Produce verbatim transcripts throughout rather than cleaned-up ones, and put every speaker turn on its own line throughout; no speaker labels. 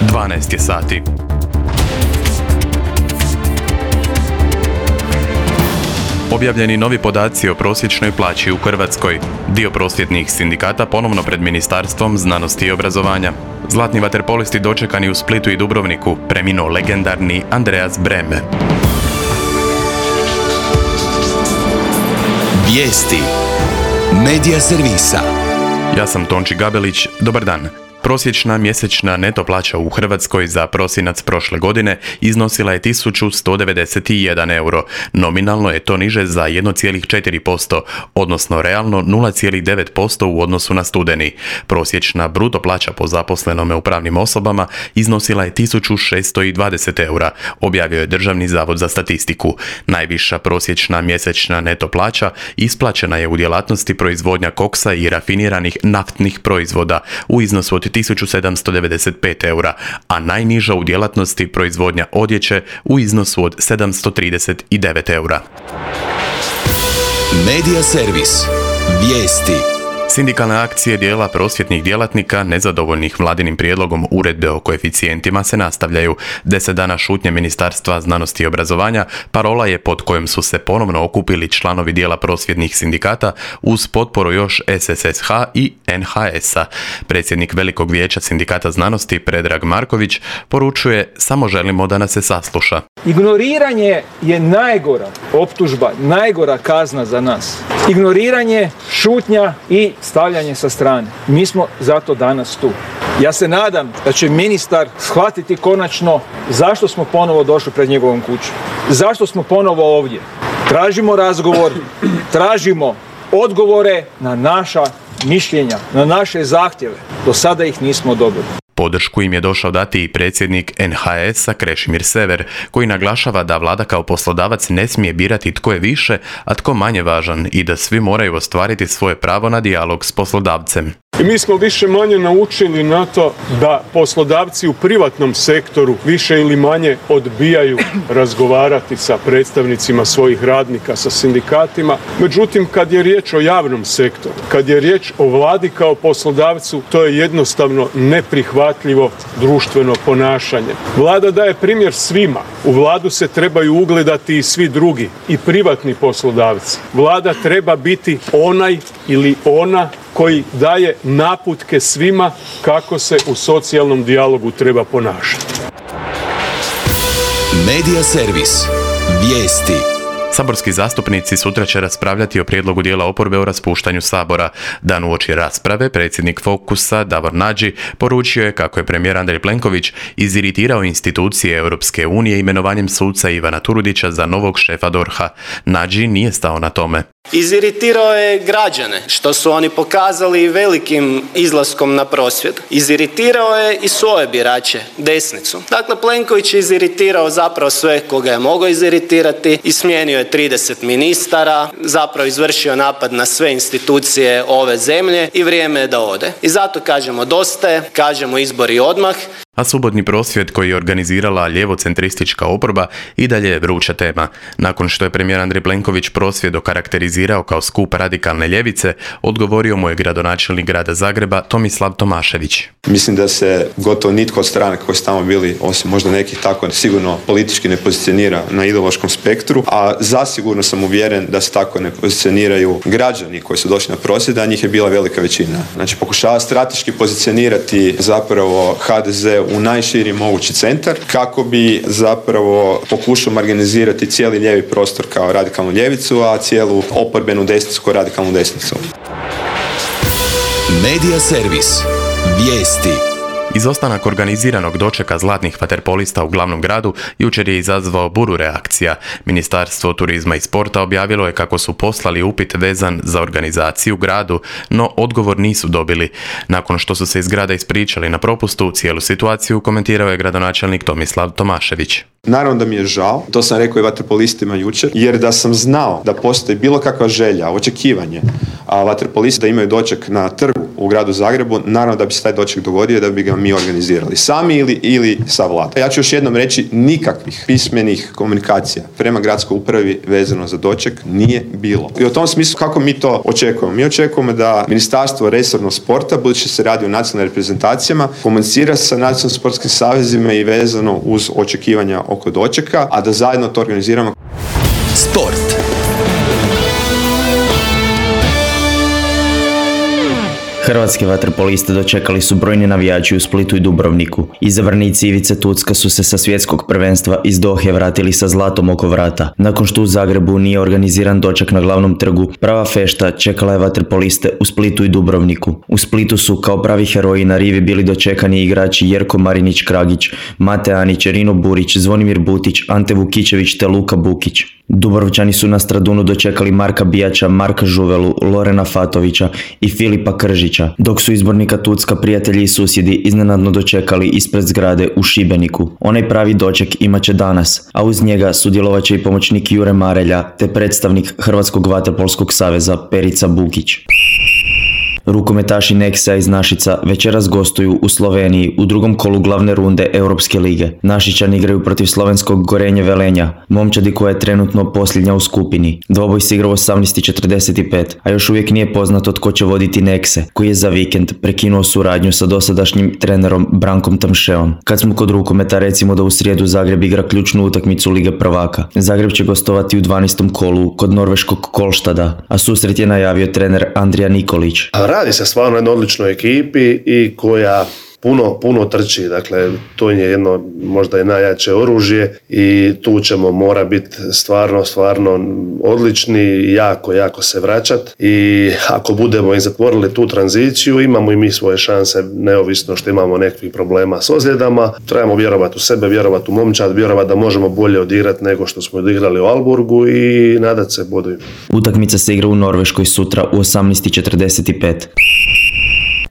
dvanaest je sati. Objavljeni novi podaci o prosječnoj plaći u Hrvatskoj. Dio prosvjetnih sindikata ponovno pred Ministarstvom znanosti i obrazovanja. Zlatni vaterpolisti dočekani u Splitu i Dubrovniku, preminuo legendarni Andreas Breme.
Vijesti Medija servisa.
Ja sam Tonči Gabelić, dobar dan. Prosječna mjesečna neto plaća u Hrvatskoj za prosinac prošle godine iznosila je tisuću sto devedeset jedan euro. Nominalno je to niže za jedan zarez četiri posto, odnosno realno nula zarez devet posto u odnosu na studeni. Prosječna bruto plaća po zaposlenome u pravnim osobama iznosila je tisuću šesto dvadeset eura, objavio je Državni zavod za statistiku. Najviša prosječna mjesečna neto plaća isplaćena je u djelatnosti proizvodnja koksa i rafiniranih naftnih proizvoda u iznosu od tisuću sedamsto devedeset pet eura, a najniža u djelatnosti proizvodnja odjeće u iznosu od sedamsto trideset devet eura.
Medija servis. Vijesti.
Sindikalne akcije dijela prosvjetnih djelatnika nezadovoljnih vladinim prijedlogom uredbe o koeficijentima se nastavljaju. Deset dana šutnje Ministarstva znanosti i obrazovanja parola je pod kojom su se ponovno okupili članovi dijela prosvjetnih sindikata uz potporu još S S S H i N H S-a. Predsjednik Velikog vijeća sindikata znanosti Predrag Marković poručuje: samo želimo da nas se sasluša.
Ignoriranje je najgora optužba, najgora kazna za nas. Ignoriranje, šutnja i stavljanje sa strane. Mi smo zato danas tu. Ja se nadam da će ministar shvatiti konačno zašto smo ponovo došli pred njegovom kuću. Zašto smo ponovo ovdje. Tražimo razgovor, tražimo odgovore na naša mišljenja, na naše zahtjeve. Do sada ih nismo dobili.
Podršku im je došao dati i predsjednik N H S-a Krešimir Sever, koji naglašava da vlada kao poslodavac ne smije birati tko je više, a tko manje važan i da svi moraju ostvariti svoje pravo na dijalog s poslodavcem.
I mi smo više manje naučili na to da poslodavci u privatnom sektoru više ili manje odbijaju razgovarati sa predstavnicima svojih radnika, sa sindikatima. Međutim, kad je riječ o javnom sektoru, kad je riječ o vladi kao poslodavcu, to je jednostavno neprihvatljivo društveno ponašanje. Vlada daje primjer svima. U vladu se trebaju ugledati i svi drugi, i privatni poslodavci. Vlada treba biti onaj ili ona koji daje naputke svima kako se u socijalnom dijalogu treba ponašati.
Medija servis. Vijesti.
Saborski zastupnici sutra će raspravljati o prijedlogu dijela oporbe o raspuštanju Sabora. Dan uoči rasprave predsjednik Fokusa Davor Nađi poručio je kako je premijer Andrej Plenković iziritirao institucije Europske unije imenovanjem suca Ivana Turudića za novog šefa D O R H-a. Nađi nije stao na tome.
Iziritirao je građane, što su oni pokazali velikim izlaskom na prosvjed. Iziritirao je i svoje birače, desnicu. Dakle, Plenković je iziritirao zapravo sve koga je mogao iziritirati i smijenio je trideset ministara, zapravo izvršio napad na sve institucije ove zemlje i vrijeme je da ode. I zato kažemo dosta je, kažemo izbori odmah.
A subotni prosvjed koji je organizirala ljevocentristička oporba i dalje je vruća tema. Nakon što je premijer Andrej Plenković prosvjed okarakterizirao kao skup radikalne ljevice, odgovorio mu je gradonačelnik grada Zagreba Tomislav Tomašević.
Mislim da se gotovo nitko od stranaka koji su tamo bili, osim možda nekih tako, sigurno politički ne pozicionira na ideološkom spektru, a zasigurno sam uvjeren da se tako ne pozicioniraju građani koji su došli na prosvjed, a njih je bila velika većina. Znači, pokušava strateški pozicionirati zapravo H D Z u najširi mogući centar kako bi zapravo pokušao marginalizirati cijeli lijevi prostor kao radikalnu ljevicu, a cijelu oporbenu desnicu kao radikalnu desnicu.
Medija servis. Vijesti.
Izostanak organiziranog dočeka zlatnih vaterpolista u glavnom gradu jučer je izazvao buru reakcija. Ministarstvo turizma i sporta objavilo je kako su poslali upit vezan za organizaciju u gradu, no odgovor nisu dobili. Nakon što su se iz grada ispričali na propustu, cijelu situaciju komentirao je gradonačelnik Tomislav Tomašević.
Naravno da mi je žao, to sam rekao i vaterpolistima jučer, jer da sam znao da postoji bilo kakva želja, očekivanje, a vaterpolisti da imaju doček na trgu u gradu Zagrebu, naravno da bi se taj doček dogodio, da bi ga mi organizirali sami ili, ili sa vladom. Ja ću još jednom reći, nikakvih pismenih komunikacija prema gradskoj upravi vezano za doček nije bilo. I u tom smislu kako mi to očekujemo? Mi očekujemo da Ministarstvo resornog sporta, budući se radi o nacionalnim reprezentacijama, komunicira sa nacionalnim sportskim savezima i vezano uz očekivanja oko dočeka, a da zajedno to organiziramo.
Sport.
Hrvatske vaterpoliste dočekali su brojni navijači u Splitu i Dubrovniku. Izabranici Ivice Tucka su se sa svjetskog prvenstva iz Dohe vratili sa zlatom oko vrata. Nakon što u Zagrebu nije organiziran doček na glavnom trgu, prava fešta čekala je vaterpoliste u Splitu i Dubrovniku. U Splitu su kao pravi heroji na rivi bili dočekani igrači Jerko Marinić-Kragić, Mate Anić, Rino Burić, Zvonimir Butić, Ante Vukičević te Luka Bukić. Dubrovčani su na Stradunu dočekali Marka Bijača, Marka Žuvelu, Lorena Fatovića i Filipa Kržića, dok su izbornika Tucka prijatelji i susjedi iznenadno dočekali ispred zgrade u Šibeniku. Onaj pravi doček imat će danas, a uz njega sudjelovat će i pomoćnik Jure Marelja te predstavnik Hrvatskog vaterpolskog saveza Perica Bukić. Rukometaši Nexa iz Našica večeras gostuju u Sloveniji u drugom kolu glavne runde Europske lige. Našičani igraju protiv slovenskog Gorenje Velenja, momčadi koja je trenutno posljednja u skupini. Dvoboj se igra u osamnaest i četrdeset pet, a još uvijek nije poznato tko će voditi Nexe, koji je za vikend prekinuo suradnju sa dosadašnjim trenerom Brankom Tamšeom. Kad smo kod rukometa, recimo da u srijedu Zagreb igra ključnu utakmicu Lige prvaka. Zagreb će gostovati u dvanaestom kolu kod norveškog Kolštada, a susret je najavio trener Andrija Nikolić.
Radi se stvarno o jednoj odličnoj ekipi i koja puno, puno trči, dakle to je jedno možda i najjače oružje i tu ćemo mora biti stvarno, stvarno odlični i jako, jako se vraćati i ako budemo i zatvorili tu tranziciju, imamo i mi svoje šanse, neovisno što imamo nekakvih problema s ozljedama. Trebamo vjerovati u sebe, vjerovati u momčad, vjerovati da možemo bolje odigrati nego što smo odigrali u Alburgu i nadat se bodovima.
Utakmica se igra u Norveškoj sutra u osamnaest i četrdeset pet.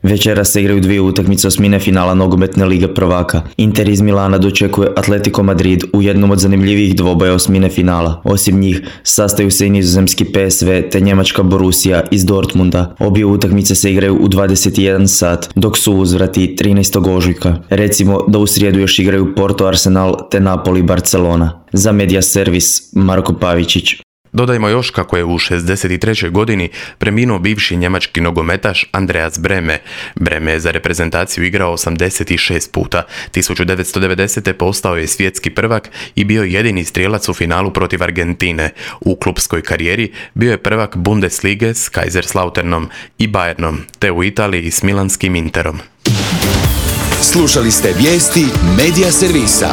Večera se igraju dvije utakmice osmine finala nogometne Lige prvaka. Inter iz Milana dočekuje Atletico Madrid u jednom od zanimljivijih dvoboja osmine finala. Osim njih, sastaju se i nizozemski P S V te njemačka Borussia iz Dortmunda. Obje utakmice se igraju u dvadeset jedan sat, dok su uzvrati trinaestog ožujka. Recimo da u srijedu još igraju Porto Arsenal te Napoli Barcelona. Za Media Servis, Marko Pavičić.
Dodajmo još kako je u šezdeset trećoj godini preminuo bivši njemački nogometaš Andreas Brehme. Brehme je za reprezentaciju igrao osamdeset šest puta. tisuću devetsto devedesete. postao je svjetski prvak i bio jedini strijelac u finalu protiv Argentine. U klupskoj karijeri bio je prvak Bundeslige s Kaiserslauternom i Bayernom, te u Italiji s milanskim Interom.
Slušali ste vijesti Media Servisa.